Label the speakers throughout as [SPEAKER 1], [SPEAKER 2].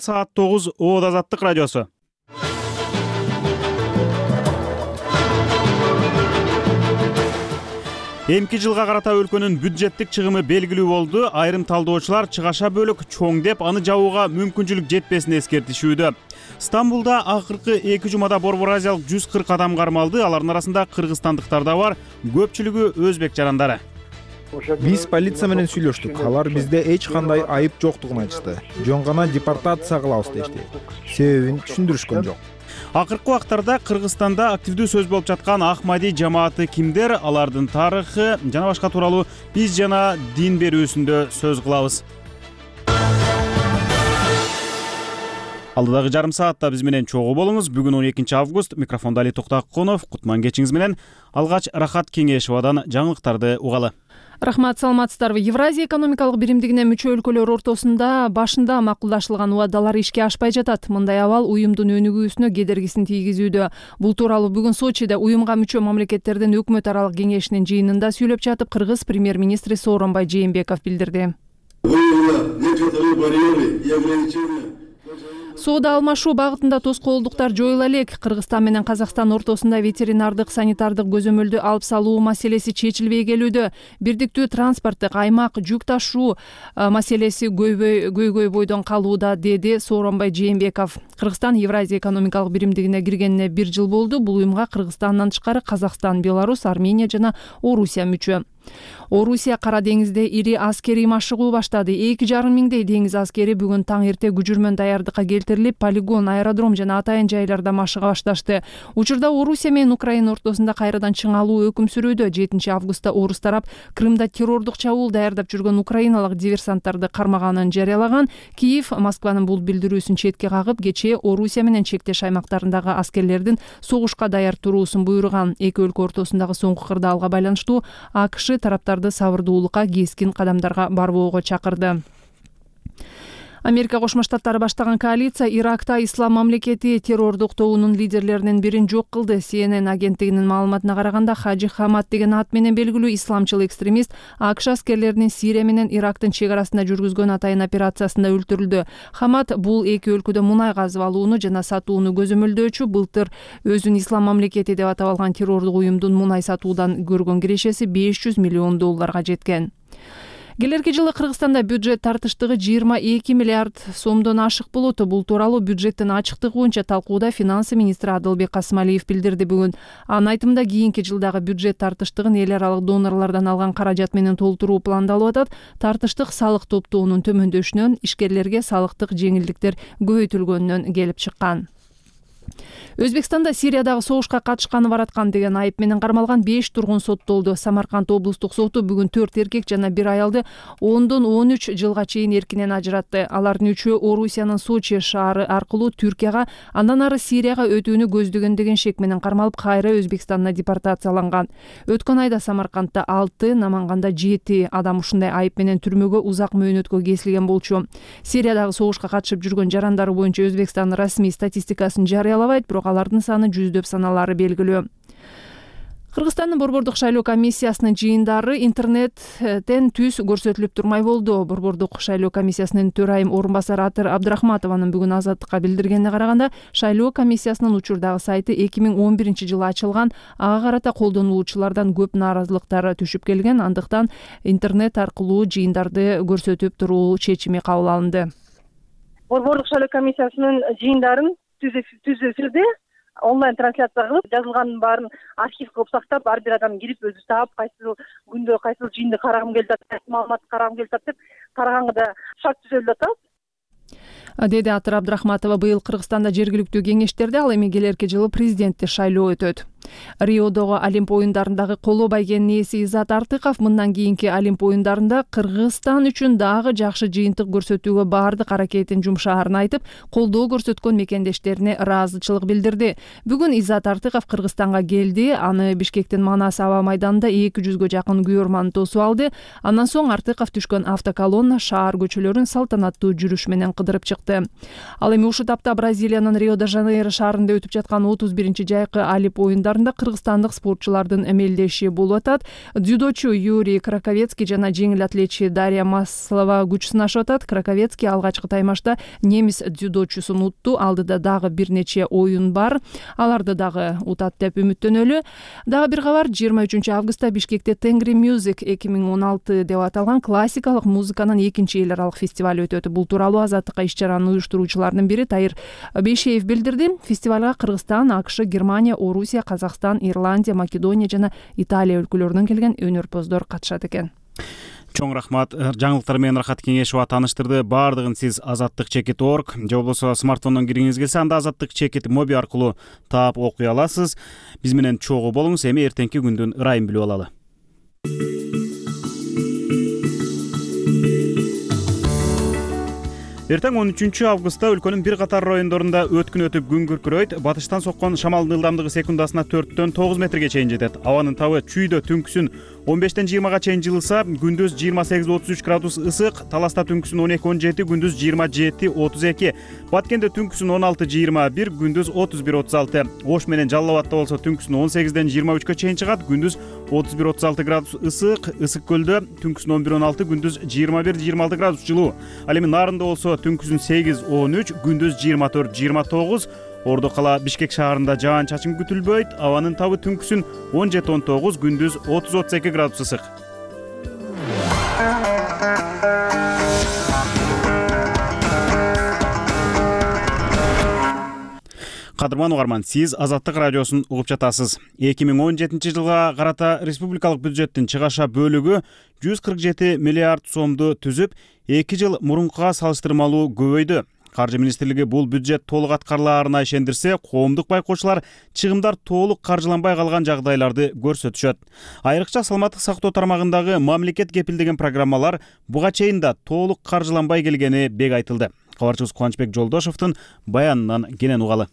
[SPEAKER 1] Саат 9 Оод Азаттык радиосу. Эмки жылга карата өлкөнүн бюджеттик чыгымы белгилүү болду. Айрым талдоочулар чыгаша бөлүк чоң деп аны жабууга мүмкүнчүлүк жетпесин эскертишүүдө. Стамбулда акыркы 2 жумада Борбор Азиялык 140 адам кармалды. Алардын арасында кыргызстандыктар да бар, көпчүлүгү өзбек жарандары.
[SPEAKER 2] Биз полиция менен сүйлөштүк. Алар бизде эч кандай айып жоктугун айтышты. Жөн гана депортация кылабыз дешти. Себебин түшүндүрүшкөн жок.
[SPEAKER 1] Акыркы убактарда Кыргызстанда активдүү сөз болуп жаткан Ахмади жамааты кимдер, алардын тарыхы жана башка тууралуу биз жана дин берүүсүндө сөз кылабыз. Алдыдагы жарым саатта биз менен чогуу болуңуз. Бүгүн 12 август. Микрофондо Али Токтакунов. Кутман кечиңиз менен. Алгач Рахат Кеңешевадан жаңылыктарды угалы.
[SPEAKER 3] Рахмат, саламатсыздарбы. Евразия экономикалык биримдигине мүчө өлкөлөр ортосунда башында макулдашылган убадалар ишке ашпай жатат. Мындай абал уюмдун өнүгүүсүнө кедергисин тийгизүүдө. Бул тууралуу бүгүн Сочиде уюмга мүчө мамлекеттердин өкмөт аралык кеңешинин жыйынында сүйлөп жатып, Кыргыз премьер-министри Сооронбай Жээнбеков билдирди. Соода алмашуу багытында тоскоолдуктар жоюла элек. Кыргызстан менен Казакстан ортосунда ветеринардык, санитардык көзөмөлдү алып салуу маселеси чечилбей келүүдө. Бирдиктүү транспорттук аймак, жүк ташуу маселеси көйгөй бойдон калууда, деди Сооронбай Жээнбеков. Кыргызстан Евразия экономикалык биримдигине киргенине 1 жыл болду. Бул уюмга Кыргызстандан тышкары Казакстан, Беларусь, Армения жана Орусия мүчө. Орусия Кара деңизде ири аскерий машыгуу баштады. 2,5 миңдей деңиз аскери бүгүн таң эрте күжүрмөн даярдыкка келтирилип, полигон, аэродром жана атайын жайларда машыга башташты. Учурда Орусия менен Украина ортосунда кайрадан чыңалуу өкүм сүрүүдө. 7 августта орус тарап Крымда террордук чабуул даярдап жүргөн украиналык диверсанттарды кармаганын жарыялаган. Киев Москванын бул билдирүүсүн четке кагып, кечээ Орусия менен чектеш аймактарындагы аскерлердин согушка даяр туруусун буйруган. Эки өлкө ортосундагы соңку кырдаалга байланыштуу АКШ тараптарды сабырдуулукка, кескин кадамдарга барбоого чакырды. Америка Кошмо Штаттары баштаган коалиция Иракта Ислам мамлекети террордук тобунун лидерлеринин бирин жок кылды. CNN агенттигинин маалыматына караганда, Хаджи Хамад деген ат менен белгилүү исламчыл экстремист АКШ аскерлеринин Сирия менен Ирактын чек арасында жүргүзгөн атайын операциясында өлтүрүлдү. Хамад бул эки өлкөдө мунай казып алууну жана сатууну көзөмөлдөөчү. Былтыр өзүн Ислам мамлекети деп атап алган террордук уюмдун мунай сатуудан көргөн кирешеси $500 миллион жеткен. Келерки жылы Кыргызстанда бюджет тартыштыгы 22 миллиард сомдон ашык болот. Бул тууралуу бюджеттин ачыктыгы боюнча талкууда финансы министри Адылбек Касымалиев билдирди бүгүн. Анын айтымында кийинки жылдагы бюджет тартыштыгын эл аралык донорлордон алган каражат менен толтуруу пландалып атат. Тартыштык салык топтоонун төмөндөшүнөн, ишкерлерге салыктык жеңилдиктер көбөйтүлгөнүнөн келип чыккан. Өзбекстанда Сириядагы согушка катышканы бараткан деген айып менен кармалган 5 тургун соттолду. Самарканд облустук соту бүгүн 4 эркек жана 1 аялды 10дон 13 жылга чейин эркинен ажыратты. Алардын үчөө Орусиянын Сочи шаары аркылуу Түркияга, андан ары Сирияга өтүүнү көздөгөн деген шек менен кармалып, кайра Өзбекстанга депортацияланган. Өткөн айда Самаркандда 6, Наманганда 7 адам ушундай айып менен түрмөгө узак мөөнөткө кесилген болчу. Сириядагы согушка катышып жүргөн жарандары боюнча Өзбекстан расмий статистикасын жарыялабайт, бирок алардын саны жүздөп саналары белгилүү. Кыргызстандын борбордук шайлоо комиссиясынын жыйындары интернеттен түз көрсөтүлүп турмай болду. Борбордук шайлоо комиссиясынын төрайым орун басары Атыр Абдрахматованын бүгүн Азаттыкка билдиргенине караганда, шайлоо комиссиясынын учурдагы сайты 2011 жылы ачылган. Ага карата колдонуучулардан көп нааразылыктар түшүп келген, андыктан интернет аркылуу жыйындарды көрсөтүп туруу чечими кабыл алынды.
[SPEAKER 4] Борбордук шайлоо комиссиясынын жыйындарын түз эфирде онлайн трансляция кылып, жазылганын баарын архив кылып сактап, ар бир адам кирип өзү таап, кайсыл күндө кайсыл жыйынды карагым келип атат, кайсыл маалыматты карагым келип атат деп караганга да шарт түзөлүп атат,
[SPEAKER 3] деди Атыр Абдрахматова. Быйыл Кыргызстанда жергиликтүү кеңештерде, ал эми келерки жылы президенттик шайлоо өтөт. Риодогу Олимп оюндарындагы коло байгенин ээси Иззат Артыков мындан кийинки Олимп оюндарында Кыргызстан үчүн дагы жакшы жыйынтык көрсөтүүгө баардык аракетин жумшаарын айтып, колдоо көрсөткөн мекендештерине ыраазычылык билдирди. Бүгүн Иззат Артыков Кыргызстанга келди. Аны Бишкектин Манас аба майданында 200-гө жакын күйөрман тосуп алды. Андан соң Артыков түшкөн автоколонна шаар көчөлөрүн салтанаттуу жүрүш менен кыдырып чыкты. Ал эми ушул тапта Бразилиянын Рио-де-Жанейро шаарында өтүп жаткан 31-жайкы Олимп оюндар оюндарында кыргызстандык спортчулардын эмелдеши болуп атат. Дзюдочу Юрий Краковецкий жана жеңил атлетчи Дарья Маслова күч сынашып атат. Краковецкий алгачкы таймашта немис дзюдочусун утту. Алдыда дагы бир нече оюн бар. Аларды дагы утат деп үмүттөнөлү. Дагы бир кабар, 23-августта Бишкекте Tengri Music 2016 деп аталган классикалык музыканын экинчи эл аралык фестиваль өтөт. Бул тууралуу Азаттыкка иш-чаранын уюштуруучуларынын бири Тайыр Бейшеев билдирди. Фестивалга Кыргызстан, АКШ, Германия, Орусия, Казакстан, Ирландия, Македония жана Италия өлкөлөрүнөн келген өнөрпоздор катышат экен.
[SPEAKER 1] Чоң рахмат. Жаңылыктар менен Рахат Кеңешова тааныштырды. Баардыгын сиз azattik.org же болбосо смартфондон киргиңиз келсе, анда Azattik моби аркылуу таап окуй аласыз. Биз менен чогуу болуңуз. Эми эртеңки күндүн ырайын билип алалы. Эртең 13-августта өлкөнүн бир катар райондорунда өткүн өтүп күн күркүрөйт. Батыштан соккон шамалдын ылдамдыгы секундасына 4-төн 9 метрге чейин жетет. Абанын табы чүйдө түнкүсүн 15-тен 20-га чейин жылыса, күндүз 28-33 градус ысык, Таласта түнкүсүн 12-17, күндүз 27-32, Баткенде түнкүсүн 16-21, күндүз 31-36. Ош менен Жалал Абадта болсо түнкүсүн 18-ден 23-кө чейин чыгат, күндүз 31-36 градус ысык, Ысык көлдө түнкүсүн 11-16, күндүз 21-26 градус жылуу. Ал эми Нарында болсо түнкүсүн 8-13, күндүз 24-29. Ордо кала Бишкек шаарында жаан чачын күтүлбөйт. Абанын табы түнкүсүн 17-19, күндүз 30-32 градус ысык. Кадырман угарман, сиз Азаттык радиосун угуп жатасыз. 2017 жылга карата республикалык бюджеттин чыгаша бөлүгү 147 миллиард сомду түзүп, 2 жыл мурункуга салыштырмалуу көбөйдү. Каржы министрлиги бул бюджет толук аткарылаарына ишендирсе, коомдук байкоочулар чыгымдар толук каржыланбай калган жагдайларды көрсөтүшөт. Айрыкча саламаттык сактоо тармагындагы мамлекет кепилдеген программалар буга чейин да толук каржыланбай келгени бек айтылды. Кабарчыбыз Кубанычбек Жолдошовдун баянынан кенен угалы.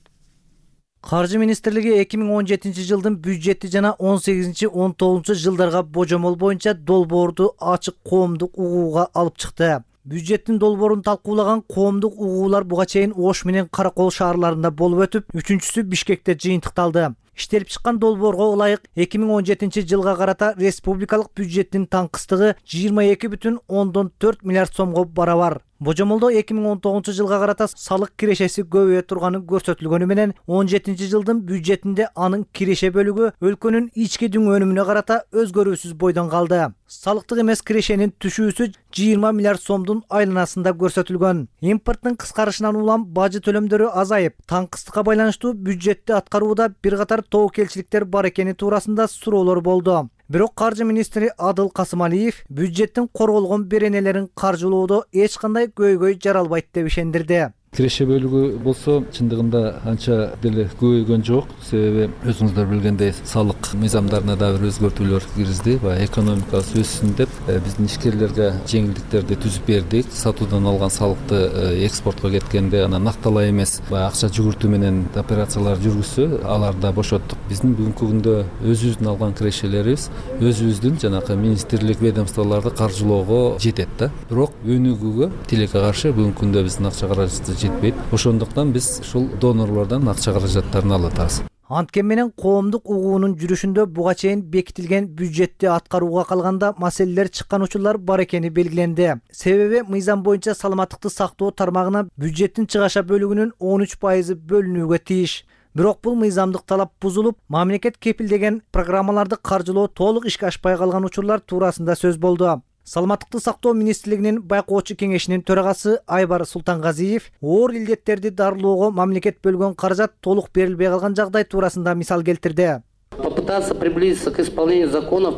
[SPEAKER 5] Каржы министрлиги 2017 жылдын бюджети жана 18-19 жылдарга божомол боюнча долбоорду ачык коомдук угууга алып чыкты. Бюджеттин долбоорун талкуулаган коомдук угуулар буга чейин Ош менен Каракол шаарларында болуп өтүп, үчүнчүсү Бишкекте жыйынтыкталды. Иштелип чыккан долбоорго ылайык 2017 жылга карата республикалык бюджеттин таңкыстыгы 22,4 миллиард сомго барабар. Божомолдо 2019 жылга карата салык кирешеси көбөйө турганы көрсөтүлгөнү менен 17 жылдын бюджетинде анын киреше бөлүгү өлкөнүн ички дүң өнүмүнө карата өзгөрүүсүз бойдон калды. Салыктык эмес кирешенин түшүүсү 20 миллиард сомдун айланасында көрсөтүлгөн. Импорттун кыскарышынан улам бажы төлөмдөрү азайып, таңкыстыкка байланыштуу бюджетти аткарууда бир катар тобокелчиликтер бар экени туурасында суроолор болду. Бирок каржы министри Адыл Касымалиев бюджеттин корголгон беренелерин каржылоодо эч кандай көйгөй жаралбайт деп ишендирди.
[SPEAKER 6] Киреше бөлүгү болсо чындыгында анча деле көбөйгөн жок. Себеби өзүңүздөр билгендей салык мыйзамдарына да бир өзгөртүүлөр киргизди. Баягы экономикабыз өссүн деп биздин ишкерлерге жеңилдиктерди түзүп бердик. Сатуудан алган салыкты экспортко кеткенде анан акталай эмес баягы акча жүгүртүү менен операциялар жүргүзсө, аларды да бошоттук. Биздин бүгүнкү күндө өзүбүздүн алган кирешелерибиз өзүбүздүн жанакы министрлик, ведомстволорду каржылоого жетет да. Бирок өнүгүүгө тилекке каршы бүгүнкү күндө биздин акча каражаты жетпейт. Ошондуктан биз ушул донорлордон акча каражаттарын алып атабыз.
[SPEAKER 5] Анткени менен коомдук угуунун жүрүшүндө буга чейин бекитилген бюджетти аткарууга калганда маселелер чыккан учурлар бар экени белгиленди. Себеби мыйзам боюнча саламаттыкты сактоо тармагына бюджеттин чыгаша бөлүгүнүн 13% бөлүнүүгө тийиш. Бирок бул мыйзамдык талап бузулуп, мамлекет кепилдеген программаларды каржылоо толук ишке ашпай калган учурлар туурасында сөз болду. Саламаттыкты сактоо министрлигинин байкоочу кеңешинин төрагасы Айбар Султангазиев оор илдеттерди дарылоого мамлекет бөлгөн каражат толук берилбей калган жагдай туурасында мисал келтирди.
[SPEAKER 7] Попытаться приблизиться к исполнению законов,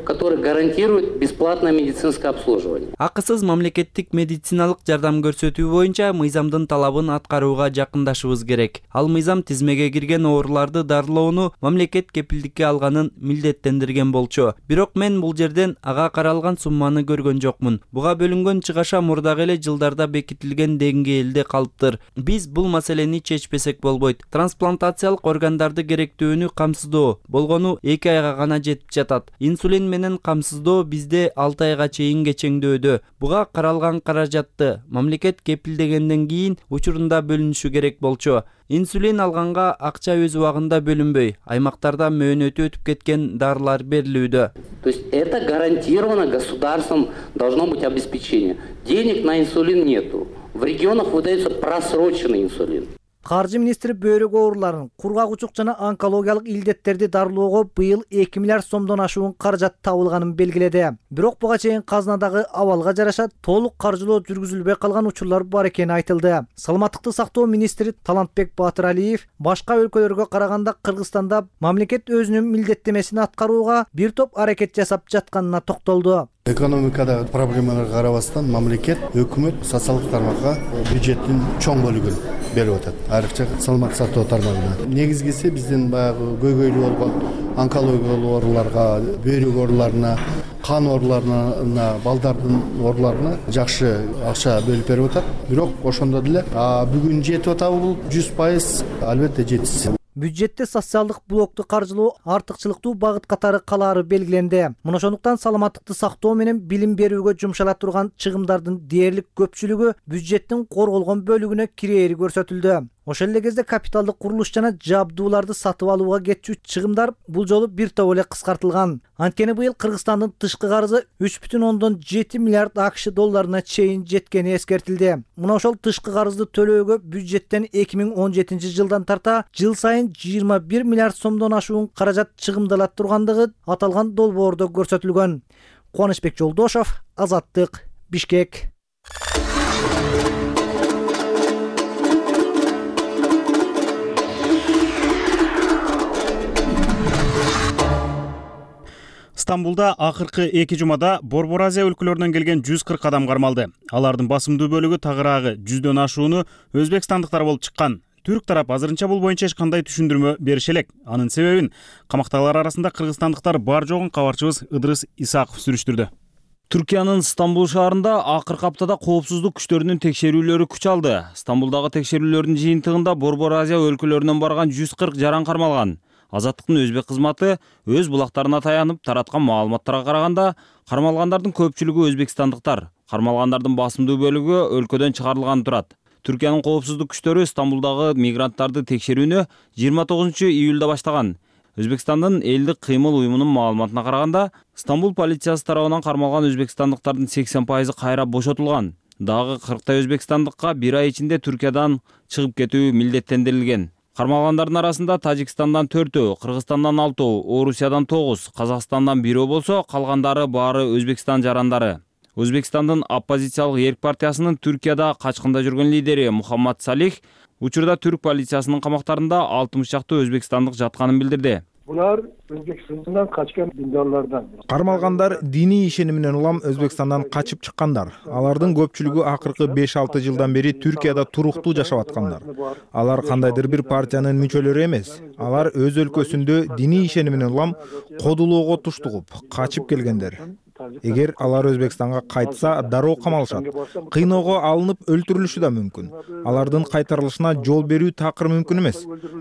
[SPEAKER 7] которые гарантируют бесплатное медицинское обслуживание.
[SPEAKER 8] Акысыз мамлекеттик медициналык жардам көрсөтүү боюнча мыйзамдын талабын аткарууга жакындашыбыз керек. Ал мыйзам тизмеге кирген ооруларды дарылоону мамлекет кепилдикке алганын милдеттендирген болчу. Бирок мен бул жерден ага каралган сумманы көргөн жокмун. Буга бөлүнгөн чыгаша мурдагы эле жылдарда бекитилген деңгээлде калыптыр. Биз бул маселени чечпесек болбойт. Трансплантациялык органдарды керектүүнү камсыздоо, болгону 2 айга гана жетип жатат. Инсулин менен камсыздоо бизде 6 айга чейин кечеңдөөдө. Буга каралган каражатты мамлекет кепилдегенден кийин учурунда бөлүнүшү керек болчу. Инсулин алганга акча өз убагында бөлүнбөй, аймактарда мөөнөтү өтүп кеткен дарылар берилүүдө.
[SPEAKER 7] То есть это гарантировано государством, должно быть обеспечение. Денег на инсулин нету. В регионах выдается просроченный инсулин.
[SPEAKER 5] Каржы министри бөйрөк ооруларын, кургак жана онкологиялык илдеттерди дарылоого быйыл 2 миллиард сомдон ашуун каражат табылганын белгиледи. Бирок буга чейин казынадагы абалга жараша толук каржылоо жүргүзүлбөй калган учурлар бар экени айтылды. Саламаттыкты сактоо министри Талантбек Батыралиев башка өлкөлөргө караганда Кыргызстанда мамлекет өзүнүн милдеттемесин аткарууга бир топ аракет жасап жатканына токтолду.
[SPEAKER 9] Экономикада проблемаларга карабастан мамлекет, өкмөт социалдык тармакка бюджеттин чоң бөлүгүн берип атат. Айрыкча саламаттык сактоо тармагына. Негизгиси биздин баягы көйгөйлүү болгон онкологиялык ооруларга, бөйрөк ооруларына, кан ооруларына, балдардын ооруларына жакшы акча бөлүп берип атат. Бирок ошондо деле бүгүн жетип атабы бул 100%? Албетте жетишсиз.
[SPEAKER 5] Бюджетте социалдык блокту каржылоо артыкчылыктуу багыт катары калаары белгиленди. Мына ошондуктан саламаттыкты сактоо менен билим берүүгө жумшала турган чыгымдардын дээрлик көпчүлүгү бюджеттин корголгон бөлүгүнө кирээри көрсөтүлдү. Ошол эле кезде капиталдык курулуш жана жабдууларды сатып алууга кетчү чыгымдар бул жолу бир топ эле кыскартылган. Анткени быйыл Кыргызстандын тышкы карызы 3,7 миллиард АКШ долларына чейин жеткени эскертилди. Мына ошол тышкы карызды төлөөгө бюджеттен 2017 жылдан тарта жыл сайын 21 миллиард сомдон ашуун каражат чыгымдала тургандыгы аталган долбоордо көрсөтүлгөн. Кубанычбек Жолдошов, Азаттык, Бишкек.
[SPEAKER 1] Стамбулда акыркы 2 жумада Борбор Азия өлкөлөрүнөн келген 140 адам кармалды. Алардын басымдуу бөлүгү тагыраагы 100дөн ашууну өзбекстандыктар болуп чыккан. Түрк тарап азырынча бул боюнча эч кандай түшүндүрмө берише элек. Анын себебин камактагылар арасында кыргызстандыктар бар жогун кабарчыбыз Ыдрыс Исаков сүрүштүрдү.
[SPEAKER 10] Түркиянын Стамбул шаарында акыркы аптада коопсуздук күчтөрүнүн текшерүүлөрү күч алды. Стамбулдагы текшерүүлөрдүн жыйынтыгында Борбор Азия өлкөлөрүнөн барган 140 жаран кармалган. Азаттыктын өзбек кызматы өз булактарына таянып тараткан маалыматтарга караганда, кармалгандардын көпчүлүгү өзбекстандыктар, кармалгандардын басымдуу бөлүгү өлкөдөн чыгарылган турат. Түркиянын коопсуздук күчтөрү Стамбулдагы мигранттарды текшерүүнү 29 июлда баштаган. Өзбекстандын элдик кыймыл уюмунун маалыматына караганда, Стамбул полициясы тарабынан кармалган өзбекстандыктардын 80% кайра бошотулган. Дагы 40 өзбекстандыкка 1 ай ичинде Түркиядан чыгып кетүү милдеттендирилген. Кармалгандардын арасында Тажикстандан 4, Кыргызстандан 6, Орусиядан 9, Казакстандан 1 болсо, калгандары баары Өзбекстан жарандары. Өзбекстандын оппозициялык Эрк партиясынын Түркияда качкында жүргөн лидери Мухаммад Салих учурда түрк полициясынын камактарында 60 чакты өзбекстандык жатканын билдирди.
[SPEAKER 11] Булар Өзбекстандан качкан диндарлардан.
[SPEAKER 2] Кармалгандар диний ишениминен улам Өзбекстандан качып чыккандар. Алардын көпчүлүгү акыркы 5-6 жылдан бери Түркияда туруктуу жашап аткандар. Алар кандайдыр бир партиянын мүчөлөрү эмес. Алар өз өлкөсүндө диний ишениминен улам кодулоого туштугуп, качып келгендер. Эгер алар Өзбекстанга кайтса, дароо камалышат. Кыйноого алынып өлтүрүлүшү да мүмкүн. Алардын кайтарылышына жол берүү такыр мүмкүн эмес.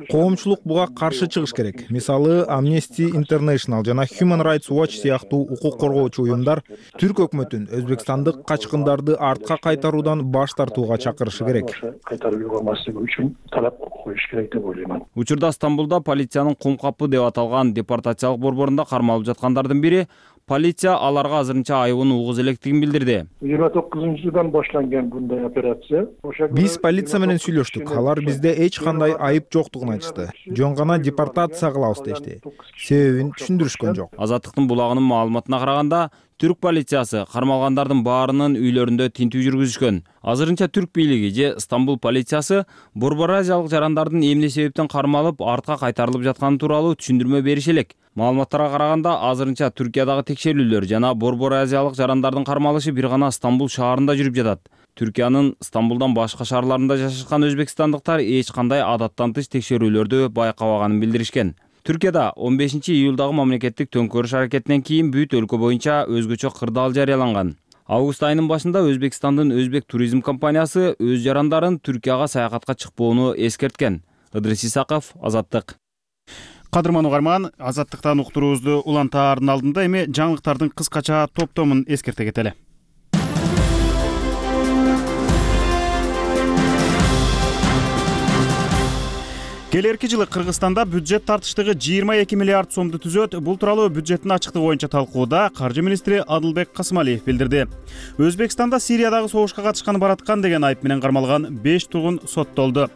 [SPEAKER 2] Коомчулук буга каршы чыгыш керек. Мисалы, Amnesty International жана Human Rights Watch сыяктуу укук коргоочу уюмдар түрк өкмөтүн өзбекстандык качкындарды артка кайтаруудан баш тартууга чакырышы керек.
[SPEAKER 11] Кайтарууга маселе үчүн талап коюш керек деп ойлоймун.
[SPEAKER 10] Учурда Стамбулда полициянын кум капы деп аталган депортациялык борборунда кармалып жаткандардын бири полиция аларга азырынча айыбын угуз электигин билдирди.
[SPEAKER 11] 29-жылдан башланган bunday операция.
[SPEAKER 2] Биз полиция менен сүйлөштүк. Алар бизде эч кандай айып жоктугун айтышты. Жөн гана депортация кылабыз дешти. Себебин түшүндүрүшкөн жок.
[SPEAKER 10] Азаттыктын булагынын маалыматына караганда, түрк полициясы кармалгандардын баарынын үйлөрүндө тинтүү жүргүзүшкөн. Азырынча түрк бийлиги же Стамбул полициясы Борбор Азиялык жарандардын эмне себептен кармалып, артка кайтарылып жатканы тууралуу түшүндүрмө берише элек. Маалыматтарга караганда, азырынча Түркиядагы текшерүүлөр жана Борбор Азиялык жарандардын кармалышы бир гана Стамбул шаарында жүрүп жатат. Түркиянын Стамбулдан башка шаарларында жашашкан өзбекстандыктар эч кандай адаттан тыш текшерүүлөрдү байкабаганын билдиришкен. Түркияда 15 июлдагы мамлекеттик төңкөрүш аракетинен кийин бүт өлкө боюнча өзгөчө кырдаал жарыяланган. Август айынын башында Өзбекстандын Өзбек туризм компаниясы өз жарандарын Түркияга саякатка чыкпоону эскерткен. Ыдрыс Исаков, Азаттык.
[SPEAKER 1] Кадырман угарман, Азаттыктан уктуруубузду улантаардын алдында эми жаңылыктардын кыскача топтомун эскерте кетели. Келерки жылы Кыргызстанда бюджет тартыштыгы 22 миллиард сомду түзөт. Бул тууралуу бюджеттин ачыктыгы боюнча талкууда каржы министри Адылбек Касымалиев билдирди. Өзбекстанда Сириядагы согушка катышканы бараткан деген айып менен кармалган 5 тургун соттолду.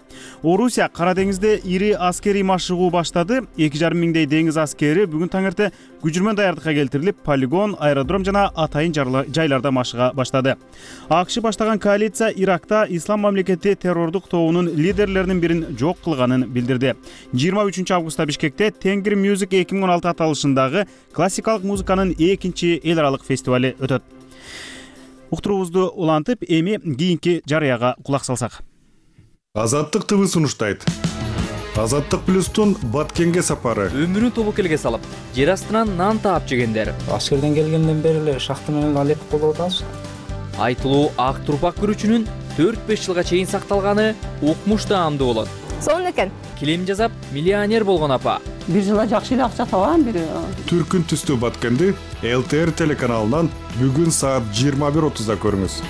[SPEAKER 1] Орусия Кара деңизде ири аскерий машыгуу баштады. 2,5 миңдей деңиз аскери бүгүн таңерте күжүрмөн даярдыкка келтирилип, полигон, аэродром жана атайын жайларда машыга баштады. АКШ баштаган коалиция Иракта Ислам мамлекети террордук тобунун лидерлеринин бирин жок кылганын билдирди. 23 августта Бишкекте Тенгри Music 2016 аталышындагы классикалык музыканын экинчи эл аралык фестивали өтөт. Уктуруубузду улантып, эми кийинки жарыяга кулак салсак.
[SPEAKER 12] Азаттык ТВ сунуштайт. Азаттык плюстун Баткенге сапары.
[SPEAKER 13] Өмүрүн тобокелге салып, жер астынан нан таап жегендер.
[SPEAKER 14] Аскерден келгенден бери эле шахта менен алек болуп атабыз.
[SPEAKER 13] Айтылуу ак турпак күрүчүнүн 4-5 жылга чейин сакталганы укмуш таамдуу болот.
[SPEAKER 15] Сонун экен.
[SPEAKER 13] Килем жасап, миллионер болгон апа.
[SPEAKER 15] Бир жылда жакшы эле акча табам бири.
[SPEAKER 12] Түркүн түстүү Баткенди ЛТР телеканалынан бүгүн саат 21:30да көрүңүз.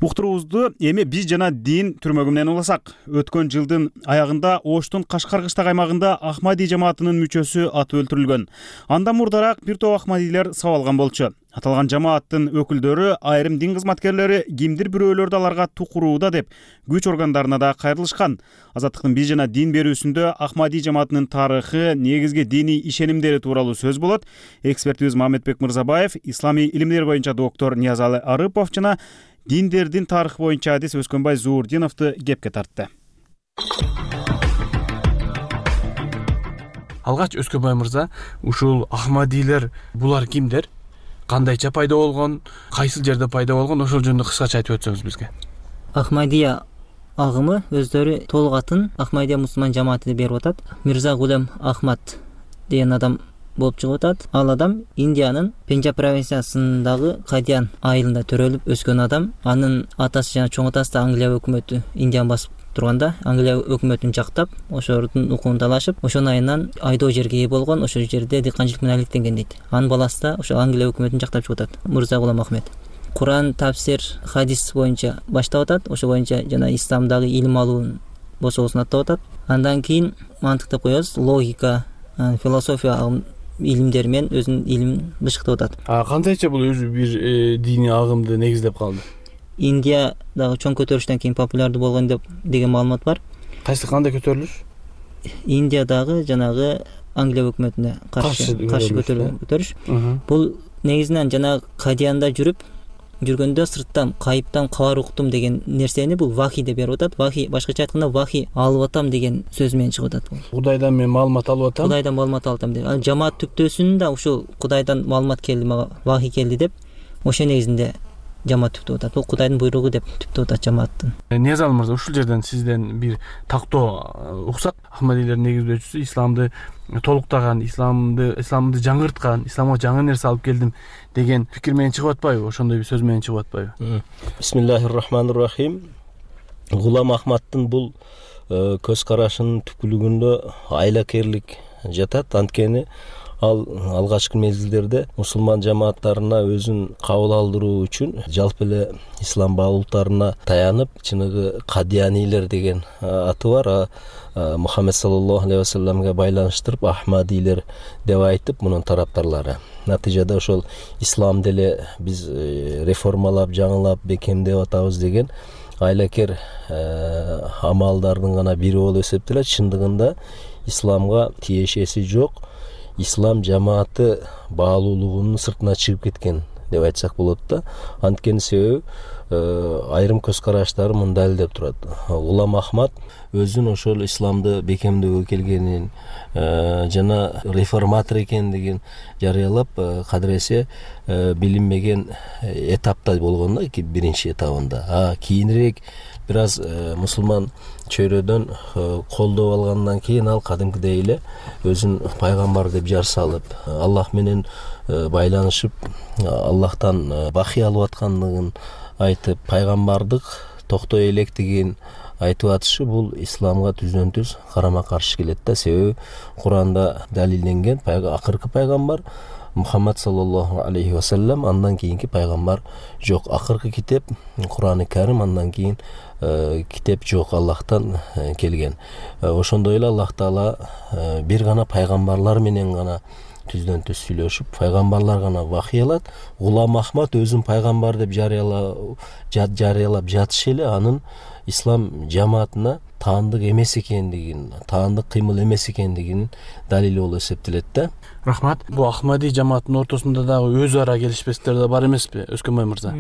[SPEAKER 1] Уктуруубузду эми биз жана дин түрмөгү менен уласак. Өткөн жылдын аягында Оштун Кашкаркыштак аймагында Ахмади жамаатынын мүчөсү атып өлтүрүлгөн. Андан мурдараак бир топ Ахмадилер сабалган болчу. Аталган жамааттын өкүлдөрү, айрым дин кызматкерлери кимдир бирөөлөрдү аларга тукурууда деп күч органдарына да кайрылышкан. Азаттыктын биз жана дин берүүсүндө Ахмади жамаатынын тарыхы, негизги диний ишенимдери тууралуу сөз болот. Экспертибиз Мамедбек Мырзабаев, исламий илимдер боюнча доктор Ниязалы Арыпов жана диндердин тарыхы боюнча адис Өскөнбай Зуурдиновду кепке тартты.
[SPEAKER 16] Алгач Өскөнбай мырза, ушул Ахмадилер булар кимдер? Кандайча пайда болгон, кайсыл жерде пайда болгон, ошол жөнүндө кыскача айтып өтсөңүз бизге.
[SPEAKER 17] Ахмадия агымы өздөрү толук атын Ахмадия мусулман жамааты деп берип атат. Мирза Гулем Ахмад деген адам болуп чыгып атат. Ал адам Индиянын Пенджаб провинциясындагы Кадиян айылында төрөлүп өскөн адам. Анын атасы жана чоң атасы да Англия өкмөтү Индияны басып турганда Англия өкмөтүн жактап, ошолордун укугун талашып, ошонун айынан айдоо жерге ээ болгон, ошол жерде дыйканчылык менен алектенген дейт. Анын баласы да ошол Англия өкмөтүн жактап чыгып атат. Мырза Гулам Ахмед. Куран, тафсир, хадис боюнча баштап атат. Ошол боюнча жана исламдагы илим алуун босогусун аттап атат. Андан кийин мантык деп коебуз, логика, философия илимдер менен өзүнүн илимин бышыктап атат.
[SPEAKER 16] Кандайча бул өзү бир диний агымды негиздеп калды?
[SPEAKER 17] Индиядагы чоң көтөрүлүштөн кийин популярдуу болгон деген маалымат бар.
[SPEAKER 16] Кайсы кандай көтөрүлүш?
[SPEAKER 17] Индиядагы жанагы Англия өкмөтүнө каршы көтөрүлүш. Бул негизинен жанагы Кадиянда жүргөндө сырттан кайыптан кабар уктум деген нерсени бул вахи деп берип атат. Вахи, башкача айтканда вахи алып атам деген сөз менен чыгып атат.
[SPEAKER 16] Кудайдан мен маалымат алып атам.
[SPEAKER 17] Кудайдан маалымат алып атам деп. Ал жамаат түптөөсүндө ушул Кудайдан маалымат келди мага, вахи келди деп, ошо негизинде жамаат түптөп атат. Бул Кудайдын буйругу деп түптөп атат жамааттын.
[SPEAKER 16] Ниязалы мырза, ушул жерден сизден бир тактоо уксак. Ахмадилердин негиздөөчүсү исламды толуктаган, исламды жаңырткан, исламга жаңы нерсе алып келдим деген пикир менен чыгып атпайбы? Ошондой бир сөз менен чыгып атпайбы?
[SPEAKER 18] Бисмиллахир-рахманир-рахим. Гулам Ахмадтын бул көз карашынын түпкүлүгүндө айлакерлик жатат. Анткени ал алгачкы мезгилдерде мусулман жамааттарына өзүн кабыл алдыруу үчүн жалпы эле ислам баалуултарына таянып, чыныгы Кадиянилер деген аты бар. Мухаммед саллаллаху алейхи вассаламга байланыштырып Ахмадилер деп айтып, мунун тараптарлары. Натыйжада ошол ислам деле биз реформалап, жаңылап, бекемдеп атабыз деген айлакер амалдардын гана бири болуп эсептелет. Чындыгында исламга тиешеси жок. Ислам жамааты баалуулугунун сыртына чыгып кеткен деп айтсак болот да. Анткени себеби айрым көз караштары муну далилдеп турат. Гулам Ахмад өзүн ошол исламды бекемдөөгө келгенин жана реформатор экендигин жарыялап, кадыресе билинбеген этапта болгон да, биринчи этабында. Кийинирээк бир аз мусулман чөйрөдөн колдоп алгандан кийин ал кадимкидей эле өзүн пайгамбар деп жар салып, Аллах менен байланышып, Аллахтан бахи алып аткандыгын айтып, пайгамбардык токтой электигин айтып атышы бул исламга түздөн түз карама каршы келет да. Себеби Куранда далилденген акыркы пайгамбар Мухаммад саллаллаху алейхи вассалам, андан кийинки пайгамбар жок. Акыркы китеп Курани Карим, андан кийин китеп жок, Аллахтан келген. Ошондой эле Аллах Таала бир гана пайгамбарлар менен гана түздөн түз сүйлөшүп, пайгамбарлар гана вахый алат. Гулам Ахмад өзүн пайгамбар деп жарыялап жатышы эле анын ислам жамаатына таандык эмес экендигин, таандык кыймыл эмес экендигин далили болуп эсептелет да.
[SPEAKER 16] Рахмат. Бул Ахмади жамаатынын ортосунда дагы өз ара келишпестер да бар эмеспи, Өскөнбай мырза?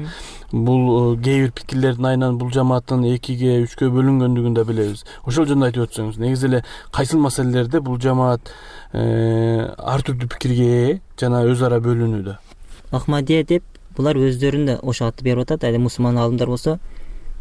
[SPEAKER 16] Бул кээ бир пикирлердин айынан бул жамааттын 2-ге 3-кө бөлүнгөндүгүн да билебиз. Ошол жөнүндө айтып өтсөңүз, негизи эле кайсыл маселелерде бул жамаат ар түрдүү пикирге ээ жана өз ара бөлүнүүдө?
[SPEAKER 17] Ахмадия деп булар өздөрүнө ошо атты берип атат. Али мусулман алымдар болсо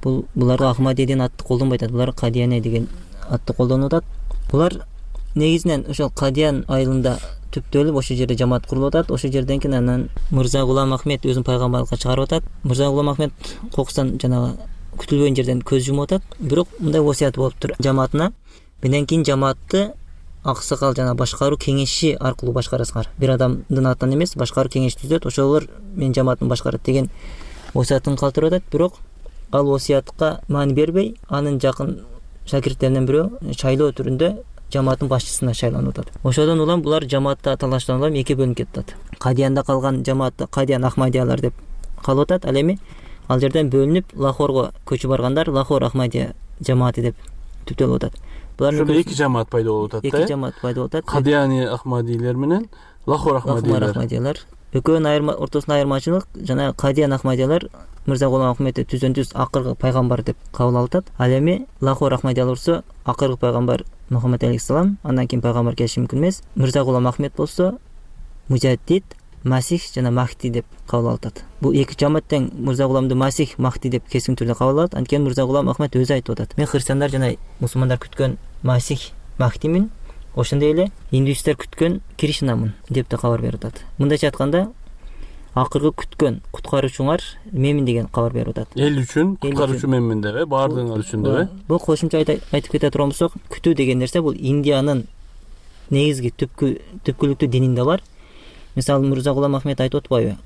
[SPEAKER 17] буларга Ахмадия деген атты колдонбой атат. Булар Кадияне деген атты колдонуп атат. Булар негизинен ошол Кадиян айылында түптөлүп ошол жерде жамаат курулуп атат. Ошол жерден кийин анан Мырза Гулам Ахмед өзүн пайгамбарлыкка чыгарып атат. Мырза Гулам Ахмед кокустан жанагы күтүлбөгөн жерден көз жумуп атат. Бирок мындай васият болуптур жамаатына. Менден кийин жамаатты аксакал жана башкаруу кеңеши аркылуу башкарасыңар. Бир адамдын атынан эмес, башкаруу кеңеш түзөт, ошолор менин жамаатымды башкарат деген васиятын калтырып атат. Бирок ал васиятка маани бербей, анын жакын шакирттеринен бирөө шайлоо түрүндө жамааттын башчысына шайланып атат. Ошодон улам булар жамаатта талаштан улам 2 бөлүнүп кетет. Кадиянда калган жамаатты Кадиян Ахмадиялар деп калып атат. Ал эми ал жерден бөлүнүп Лахорго көчүп баргандар Лахор Ахмадия жамааты деп түптөлүп атат.
[SPEAKER 16] Ошол 2 жамаат пайда болуп атат.
[SPEAKER 17] 2 жамаат пайда болуп атат.
[SPEAKER 16] Кадияни Ахмадилер менен Лахор Ахмадилер. Экөөнүн ортосунда айырмачылык жана Кадиян Ахмадиялар Мырза Гулам Ахмедти түздөн түз акыркы пайгамбар деп кабыл алып атат. Ал эми Лахор Ахмадиялар болсо акыркы пайгамбар Мухаммад алейхиссалам, андан кийин пайгамбар келиши мүмкүн эмес. Мырза Гулам Ахмед болсо мужаддид, масих жана махти деп кабыл алып атат. Бул 2 жамаат тең Мырза Гуламды масих, махти деп кескин түрдө кабыл алат. Анткени Мырза Гулам Ахмед өзү айтып атат. Мен христиандар жана мусулмандар күткөн масих, махтимин, ошондой эле индуисттер күткөн Кришнамын деп да кабар берип атат. Мындайча айтканда, акыркы күткөн куткаруучуңар менмин деген кабар берип атат. Эл үчүн куткаруучу менмин деп, баардыгыңар үчүн деп.
[SPEAKER 17] Бул кошумча айтып кете турган болсок, күтүү деген нерсе бул Индиянын негизги түпкүлүктүү дининде бар. Мисалы Мырза Гулам Ахмед айтып атпайбы?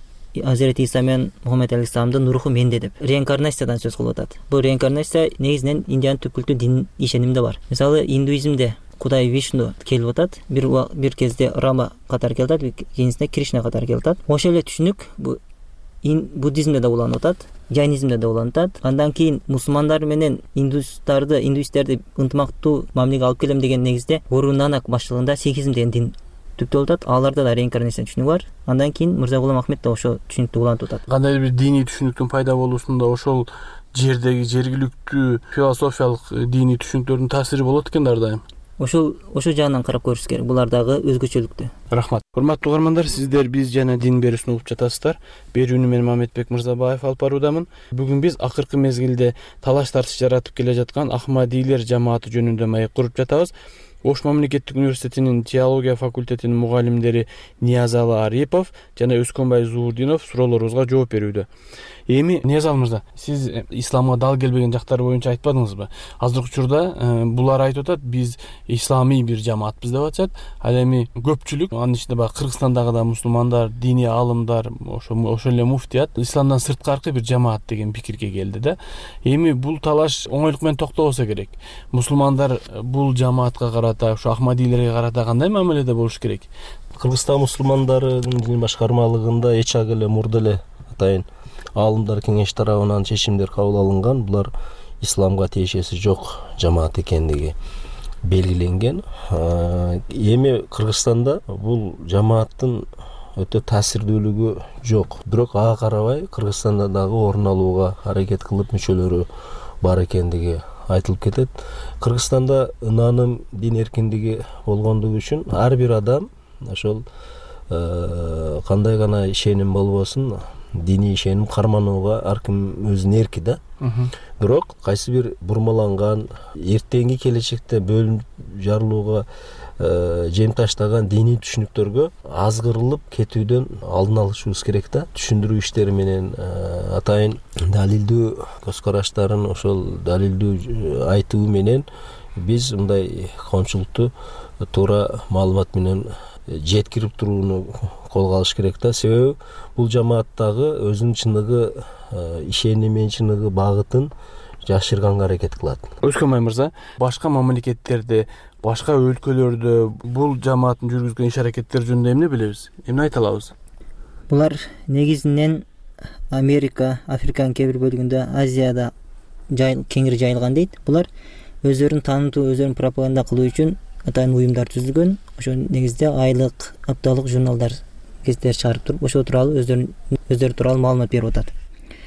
[SPEAKER 17] Азирет Иса менен Мухаммад алейхиссаламдын руху менде деп. Реинкарнациядан сөз кылып атат. Бул реинкарнация негизинен Индиянын түпкүлүктүү дин ишенимде бар. Мисалы индуизмде Кудай Вишну келип атат, бир кезде Рама катары келип атат, кийинисинде Кришна катары келип атат. Ошол эле түшүнүк бу буддизмде да уланып атат, жайнизмде да уланып атат. Андан кийин мусулмандар менен индуисттерди ынтымактуу мамилеге алып келем деген негизде Гуру Нанак башчылыгында сикизм деген дин түптөлүп атат. Аларда да реинкарнация түшүнүгү бар. Андан кийин Мырза Гулам Ахмед да ошол түшүнүктү улантып атат.
[SPEAKER 16] Кандай бир диний түшүнүктүн пайда болуусунда ошол жердеги жергиликтүү философиялык диний түшүнүктөрдүн таасири болот экен ар дайым.
[SPEAKER 17] Ошол жагынан карап көрүш керек. Булардагы өзгөчөлүктү.
[SPEAKER 16] Рахмат. Урматтуу угармандар, сиздер биз жана дин берүүсүн угуп жатасыздар. Берүүнү мен Мамедбек Мырзабаев алып баруудамын. Бүгүн биз акыркы мезгилде талаш тартыш жаратып келе жаткан Ахмадилер жамааты жөнүндө маек куруп жатабыз. Ош мамлекеттик университетинин теология факультетинин мугалимдери Ниязалы Арипов жана Өскөнбай Зуурдинов суроолорубузга жооп берүүдө. Эми Ниязалы мырза, сиз исламга дал келбеген жактары боюнча айтпадыңызбы? Азыркы учурда булар айтып атат, биз исламий бир жамаатпыз деп атышат. Ал эми көпчүлүк, анын ичинде баягы Кыргызстандагы да мусулмандар, диний алымдар, ошол эле муфтият исламдан сырткаркы бир жамаат деген пикирге келди да. Эми бул талаш оңойлук менен токтолбосо керек. Мусулмандар бул жамаатка карата, ушу Ахмадилерге карата кандай мамиледе болуш керек?
[SPEAKER 18] Кыргызстан мусулмандарынын дин башкармалыгында эч эле мурда эле атайын аалымдар кеңеш тарабынан чечимдер кабыл алынган. Булар исламга тиешеси жок жамаат экендиги белгиленген. Эми Кыргызстанда бул жамааттын өтө таасирдүүлүгү жок. Бирок ага карабай Кыргызстанда дагы орун алууга аракет кылып мүчөлөрү бар экендиги айтылып кетет. Кыргызстанда ынааным, дин эркиндиги болгондугу үчүн ар бир адам ошол кандай гана ишеним болбосун, диний ишеним карманууга ар ким өзүнүн эрки да. Бирок кайсы бир бурмаланган, эртеңки келечекте бөлүнүп жарылууга жемташтаган диний түшүнүктөргө азгырылып кетүүдөн алдын алышыбыз керек да. Түшүндүрүү иштери менен атайын далилдүү көз караштарын ошол далилдүү айтуу менен биз мындай коомчулукту туура маалымат менен жеткирип турууну колго алыш керек да. Себеби бул жамааттагы өзүнүн чыныгы ишеними, чыныгы багытын жашырганга аракет кылат.
[SPEAKER 16] Өскөнбай мырза, башка мамлекеттерде, башка өлкөлөрдө бул жамааттын жүргүзгөн иш аракеттери жөнүндө эмне билебиз? Эмне айта алабыз?
[SPEAKER 17] Булар негизинен Америка, Африканын кээ бир бөлүгүндө, Азияда кеңири жайылган дейт. Булар өздөрүн таанытуу, өздөрүн пропаганда кылуу үчүн атайын уюмдар түзүлгөн. Ошо негизде айлык, апталык журналдар, гезиттер чыгарып туруп, ошо тууралуу өздөрү тууралуу маалымат берип атат.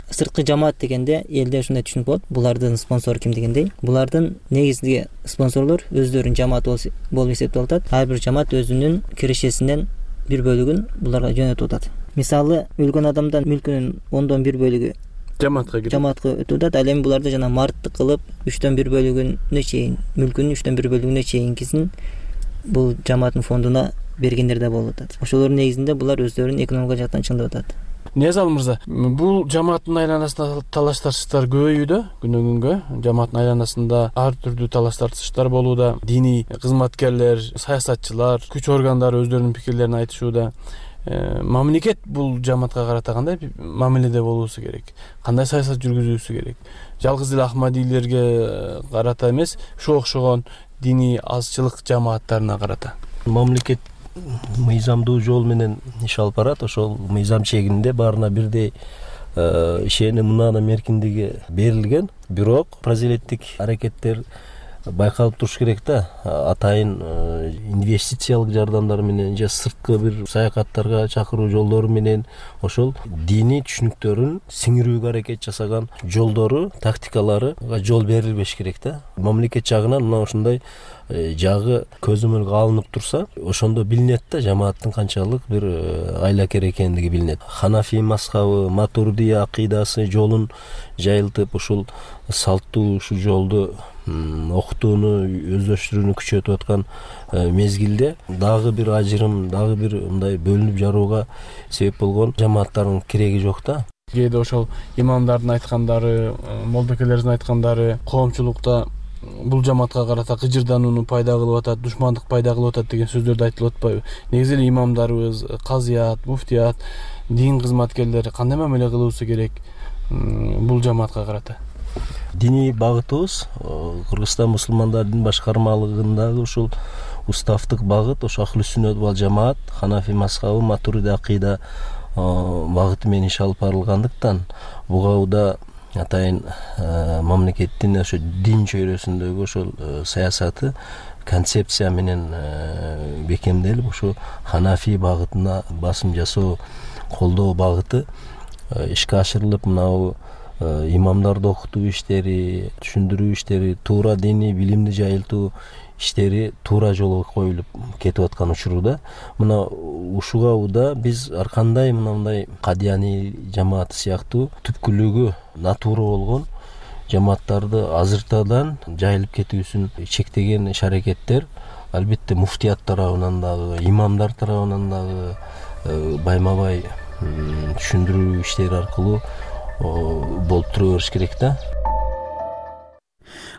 [SPEAKER 17] Сырткы жамаат дегенде элде ушундай түшүнүк болот. Булардын спонсору ким дегендей. Булардын негизги спонсорлор өздөрүнүн жамаат болуп эсептелип атат. Ар бир жамаат өзүнүн кирешесинен бир бөлүгүн буларга жөнөтүп атат. Мисалы, өлгөн адамдан мүлкүнүн 1/10 бөлүгү жамаатка өтүп атат. Ал эми буларды жана марттык кылып 3/1 бөлүгүнө чейин, мүлкүнүн 3/1 бөлүгүнө чейинкисин бул жамааттын фондуна бергендер да болуп атат. Ошолордун негизинде булар өздөрүн экономика жактан чыңдап атат.
[SPEAKER 16] Ниязал мырза, бул жамааттын айланасында талаш тартыштар көбөйүүдө, күнөн күнгө жамааттын айланасында ар түрдүү талаш тартыштар болууда. Диний кызматкерлер, саясатчылар, күч органдары өздөрүнүн пикирлерин айтышууда. Мамлекет бул жамаатка карата кандай мамиледе болуусу керек? Кандай саясат жүргүзүүсү керек? Жалгыз эле ахмадийлерге карата эмес, ушуга окшогон диний азчылык жамааттарына карата.
[SPEAKER 18] Мамлекет мыйзамдуу жол менен иш алып барат. Ошол мыйзам чегинде баарына бирдей ишеним, мынанын эркиндиги берилген. Бирок прозелиттик аракеттер байкалып туруш керек да. Атайын инвестициялык жардамдар менен же сырткы бир саякаттарга чакыруу жолдору менен ошол диний түшүнүктөрүн сиңирүүгө аракет жасаган жолдору, тактикаларга жол берилбеш керек да. Мамлекет жагынан мына ушундай жагы көзөмөлгө алынып турса, ошондо билинет да жамааттын канчалык бир айлакер экендиги билинет. Ханафи мазхабы, Матуридия акыйдасы жолун жайылтып, ушул салттуу ушу жолду окутууну өздөштүрүүнү күчөтүп аткан мезгилде дагы бир ажырым, дагы бир мындай бөлүнүп жарууга себеп болгон жамааттардын кереги жок да.
[SPEAKER 16] Кээде ошол имамдардын айткандары, молдокелердин айткандары коомчулукта бул жамаатка карата кыжырданууну пайда кылып атат, душмандык пайда кылып атат деген сөздөрдү айтылып атпайбы? Негизи эле имамдарыбыз, казыят, муфтият, дин кызматкерлери кандай мамиле кылуусу керек бул жамаатка карата?
[SPEAKER 18] Диний багытыбыз Кыргызстан мусулмандарынын башкармалыгындагы ушул уставдык багыт, ошо ахли сүннөт вал жамаат, Ханафи мазхабы, Матуриди акыйда багыты менен иш алып барылгандыктан буга атайын мамлекеттин ошо дин чөйрөсүндөгү ошол саясаты концепция менен бекемделип, ошо Ханафи багытына басым жасоо, колдоо багыты ишке ашырылып, мынау имамдарды окутуу иштери, түшүндүрүү иштери, туура диний билимди жайылтуу иштери туура жолго коюлуп кетип аткан учурда, мына ушуга уда биз ар кандай мындай кадияний жамааты сыяктуу түпкүлүгү натуура болгон жамааттарды азыртадан жайылып кетүүсүн чектеген иш аракеттер албетте муфтият тарабынан дагы, имамдар тарабынан дагы байма-бай түшүндүрүү иштери аркылуу болуп тура бериш керек да.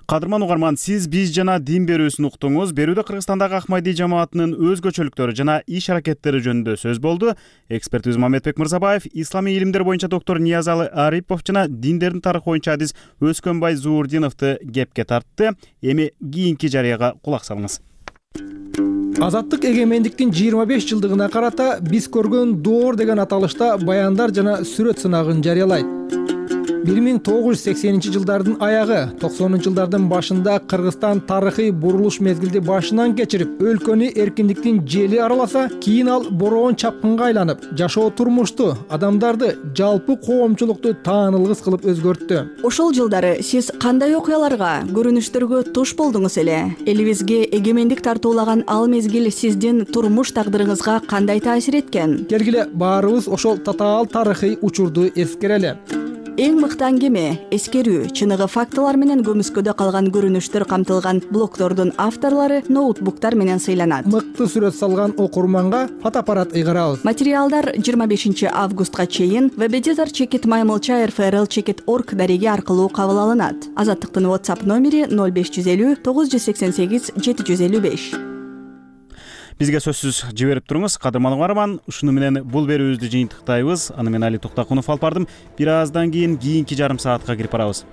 [SPEAKER 1] Кадырман угарман, сиз биз жана дин берүүсүн уктуңуз. Берүүдө Кыргызстандагы Ахмади жамаатынын өзгөчөлүктөрү жана иш аракеттери жөнүндө сөз болду. Экспертибиз Мамедбек Мырзабаев, исламий илимдер боюнча доктор Ниязалы Арипов жана диндердин тарыхы боюнча адис Өскөнбай Зуурдиновду кепке тартты. Эми кийинки жарыяга кулак салыңыз.
[SPEAKER 19] Азаттык эгемендиктин 25 жылдыгына карата биз көргөн доор деген аталышта баяндар жана сүрөт сынагын жарыялайт. 1980-жылдардын аягы, 90-жылдардын башында Кыргызстан тарыхый бурулуш мезгилди башынан кечирип, өлкөнү эркиндиктин жели араласа, кийин ал бороон чапкынга айланып, жашоо турмушту, адамдарды, жалпы коомчулукту таанылгыс кылып өзгөрттү.
[SPEAKER 20] Ошол жылдары сиз кандай окуяларга, көрүнүштөргө туш болдуңуз эле? Элибизге эгемендик тартуулаган ал мезгил сиздин турмуш тагдырыңызга кандай таасир эткен?
[SPEAKER 19] Келгиле баарыбыз ошол татаал тарыхый учурду эскерели.
[SPEAKER 20] эң мыкты аңгеме, эскерүү, чыныгы фактылар менен көмүскөдө калган көрүнүштөр камтылган блогдордун авторлору ноутбуктар менен сыйланат.
[SPEAKER 19] Мыкты сүрөт салган окурманга фотоаппарат ыйгарабыз.
[SPEAKER 20] Материалдар 25 августка чейин webeditor@maymulcha.rfrl.org дареги аркылуу кабыл алынат. Азаттыктын WhatsApp номери 0550 988 755.
[SPEAKER 1] Бизге сөзсүз жиберип туруңуз. Кадырман угарман, ушуну менен бул берүүбүздү жыйынтыктайбыз. Аны мен Али Токтакунов алып бардым. Бир аздан кийинки жарым саатка кирип барабыз.